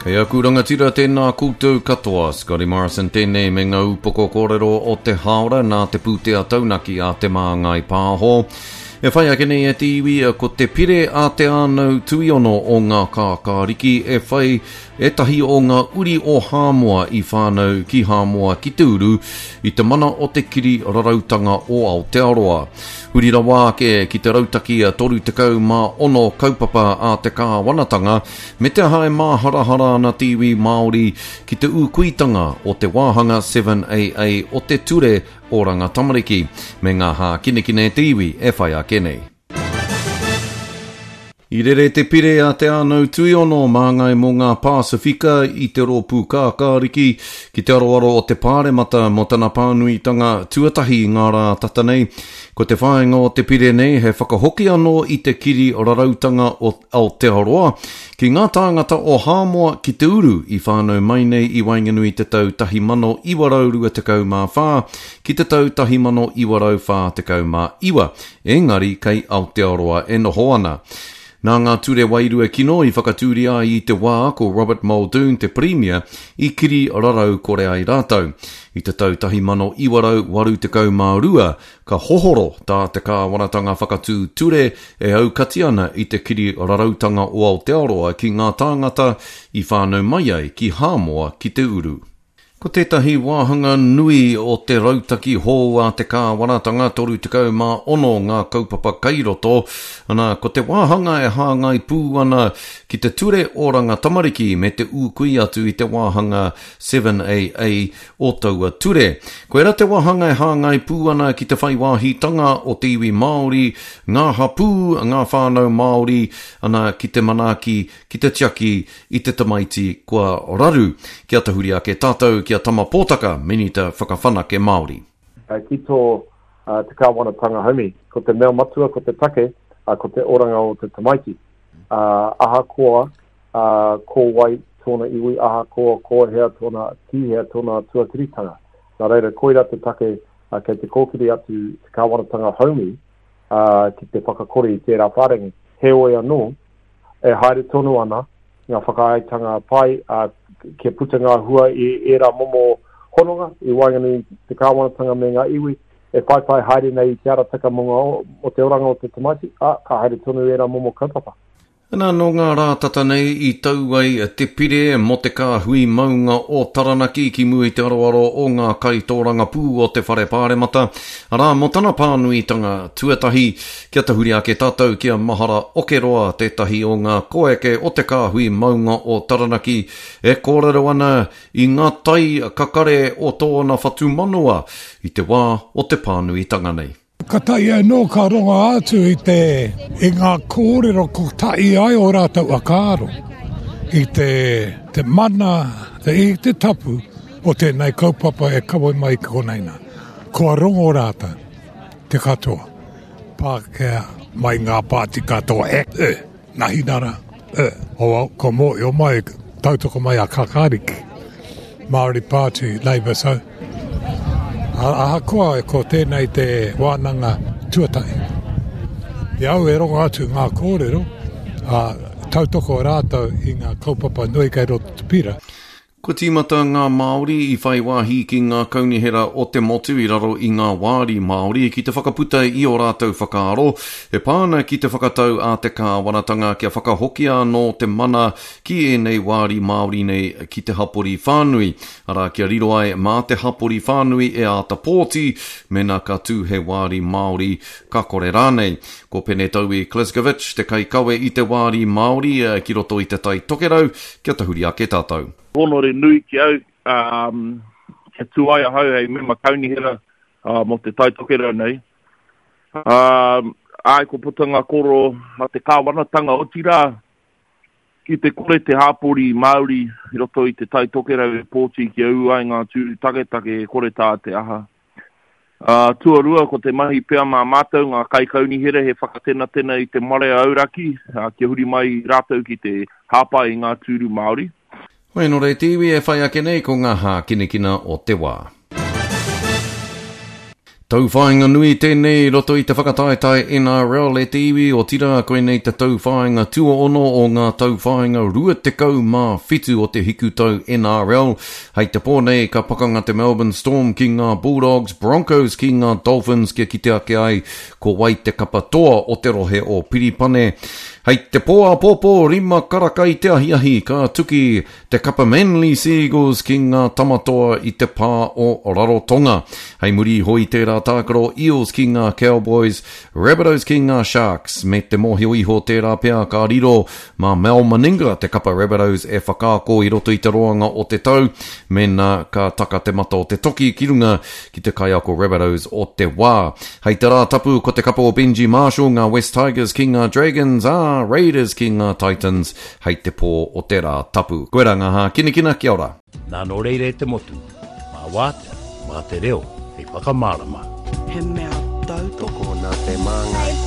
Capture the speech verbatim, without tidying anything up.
E aku rangatira tēnā koutou katoa, Scotty Morrison tēnei me ngā upoko kōrero o te haora nā te pūtea taunaki a Te Māngai Pāho. E whai ake nei e te iwi ko te pire a Te Ānau Tuiono o ngā kākāriki e whai ētahi o ngā uri o Hāmoa i whānau ki Hāmoa ki te uru i te mana o te kiri rarautanga o Aotearoa. Huri rawa ake ki te rautaki a toru tekau mā ono kaupapa a te kāwanatanga me te aha e māharahara ana te iwi Māori ki te ūkuitanga o te wāhanga seven A A o te ture Oranga Tamariki me ngā hākinekine te iwi e whai ake nei. I rere te pire a Te Ānau Tuiono māngai mō ngā Pasifika i te rōpū kākāriki ki te aroaro o te Pāremata mō tana pānuitanga tuatahi ngā rā tata nei. Ko te whāinga o te pire nei he whakahoki anō i te kiri rarautanga o Aotearoa ki ngā tāngata o Hāmoa ki te uru i whānau mai nei i waenganui te tau tahi mano iwa rau rua tekau mā whā ki te tau tahi mano iwa rau whā tekau mā iwa, engari kei Aotearoa e noho ana. Nā ngā ture wairua kino i whakatūria ai i te wā ko Robert Muldoon te Premier i kiri rarau kore ai rātou. I te tau tahi mano iwa rau waru tekau mā rua, ka hohoro tā te kāwanatanga whakatū ture e aukati ana i te kiri rarautanga o Aotearoa ki ngā tāngata i whānau mai ai ki Hāmoa ki te uru. Ko tētahi wāhanga nui o te rautaki hou a te kāwanatanga toru tekau mā ono ngā kaupapa kairoto, ana ko te wāhanga e hāngai pū ana ki te ture oranga tamariki me te ūkui atu i te wāhanga seven A A o taua ture. Koera te wāhanga e hāngai pū ana ki te whai wāhitanga o te iwi Māori, ngā hapū, ngā whānau Māori, ana ki te manaaki, ki te tiaki i te tamaiti kua raru. Kia tahuri ake tātou ki a Tama Pōtaka, Minita Whakawhanake Māori. Ki tō te kāwanatanga haumi, ko te mea matua, ko te take, ko te oranga o te tamaiti. Ahakoa ko wai tōna iwi, ahakoa ko hea tōna, ki hea tōna tuakiritanga. Nā reira, koira te take kei te kōkiri atu te kāwanatanga haumi ki te whakakore i tērā whārangi. Heoi anō, e haere tonu ana ngā whakaaetanga pai, uh, kia puta ngā hua i ērā momo hononga i waenganui te kāwanatanga me ngā iwi, e whaiwhai haere nei i te arataka mō ngā, o te oranga o te tamaiti, a, ka haere tonu ērā momo kaupapa. Nā, nō ngā rā tata nei i tau ai te pire mō te kāhui maunga o Taranaki ki mua i te aroaro o ngā kaitōrangapū o te whare pāremata. Arā, mō tana pānuitanga tuatahi, kia tahuri ake tātou ki a Mahara Okeroa tētahi o ngā koeke o te kāhui maunga o Taranaki e kōrero ana i ngā tai kakare o tōna whatumanawa i te wā o te pānuitanga nei. Ka tai anō ka rongo atu i te i ngā kōrero ko tai ai o rātou whakaaro i te, te mana, te, i te tapu o tēnei kaupapa e kawe mai ki konei nā. Kua rongo rātou te katoa, Pākehā mai ngā pāti katoa e, e, Nahinara, e, o, ko mōhio mai, tautoko mai a Kakariki, Māori Party, Labour, so. Ahakoa ko tēnei te wānanga tuatahi. I au e rongo atu ngā kōrero, a, tautoko rātou i ngā kaupapa nui kei roto te pira. Kua tīmata ngā Māori i whai wāhi ki ngā kaunihera o te motu i raro i ngā wāri Māori ki te whakaputa i o rātou whakaaro e pā ana ki te whakatau a te kāwanatanga kia whakahokia anō te mana ki ēnei wāri Māori nei ki te hapori whānui. Arā, kia riro ai mā te hapori whānui e āta pōti, mena ka tū he wāri Māori ka kore rānei. Ko Penetaui Kleskovic te kaikawe i te wāri Māori ki roto i te Tai Tokerau, kia tahuri ake tātou. Honore nui ki au, um, kia tū ai ahau hei mema kaunihera uh, mō te Tai Tokerau nei. Um, ai, ko puta ngā koro a te kāwanatanga otirā ki te kore te hāpori Māori i roto i te Tai Tokerau e pōti kia ū ai ngā tūru taketake e kore tā te aha. Uh, tuarua, ko te mahi pea mā mātou ngā kaikaunihera he whakatenatena i te marea auraki, uh, kia huri mai rātou ki te hāpai i ngā tūru Māori. Hoi nō rei te iwi e whai ake nei ko ngā hākinakina o te wā. Tauwhāinga nui tēnei i roto i te whakataetae N R L e te iwi, otirā koinei te tauwhāinga tuaono o ngā tauwhāinga rua tekau mā whitu o te hikutau N R L. Hei te pō nei ka pakanga te Melbourne Storm ki ngā Bulldogs, Broncos ki ngā Dolphins kia kite ake ai ko wai te kapa toa o te rohe o Piripane. Hei te pō āpōpō rima karaka i te ahiahi ka tuki te kapa Manly Seagulls ki ngā tamatoa i te pā o Rarotonga. Hei muri iho i tērā tākaro Eels ki ngā Cowboys, Rabbitohs ki ngā Sharks, me te mōhio iho tērā pea ka riro mā Mal Meninga te kapa Rabbitohs e whakaako i roto i te roanga o te tau, mēnā ka taka te mata o te toki ki runga ki te kaiako Rabbitohs o te wā. Hei te rā tapu ko te kapa o Benji Marshall, ngā West Tigers ki ngā Dragons, ā, Raiders ki ngā Titans hei te pō o te rā tapu. Koera ngā hākinakina, kia ora. Nā nō reira e te motu, mā wātea, mā te reo, hei whakamārama. He mea tautoko Tokona te māngai.